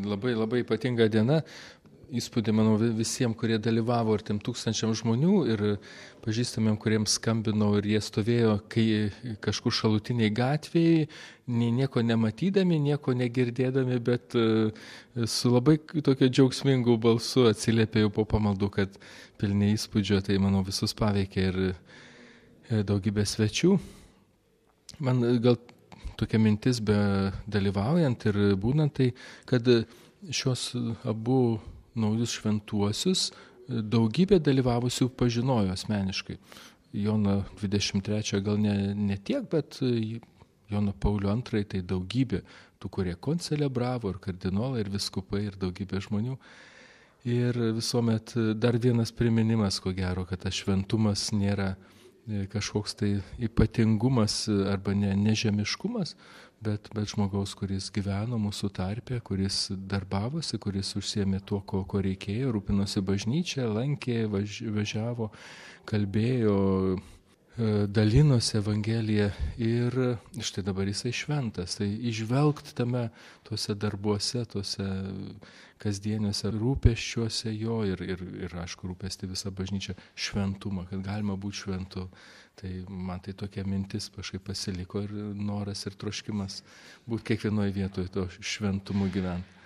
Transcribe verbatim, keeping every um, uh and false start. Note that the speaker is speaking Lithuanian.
Labai labai ypatinga diena. Įspūdį, manau, visiems, kurie dalyvavo ir tiem tūkstančiam žmonių ir pažįstamiem, kuriems skambinau ir jie stovėjo kai kažkur šalutiniai gatvėje, nieko nematydami, nieko negirdėdami, bet su labai tokio džiaugsmingu balsu atsiliepė jau po pamaldų, kad pilni įspūdžio, tai manau visus paveikė ir daugybė svečių. Man gal tokia mintis be dalyvaujant ir būnant, tai kad šios abu naujus šventuosius daugybė dalyvavusių pažinojo asmeniškai. Joną dvidešimt trečią gal ne, ne tiek, bet Joną Paulių antrąjį tai daugybė tų, kurie koncelebravo, ir kardinolai, ir viskupai, ir daugybė žmonių. Ir visuomet dar vienas priminimas, ko gero, kad tas šventumas nėra kažkoks tai ypatingumas arba ne, nežemiškumas, bet, bet žmogaus, kuris gyveno mūsų tarpe, kuris darbavosi, kuris užsiėmė tuo, ko, ko reikėjo, rūpinosi bažnyčia, lankė, važ, važiavo, kalbėjo, dalinosi Evangeliją ir štai dabar jisai šventas. Tai įžvelgti tame tuose darbuose, tuose kasdieniuose rūpesčiuose jo ir, ir, ir aišku, rūpesti visą bažnyčią šventumą, kad galima būti šventu. Tai man tai tokia mintis kažkaip pasiliko ir noras ir troškimas būti kiekvienoje vietoje to šventumu gyventi.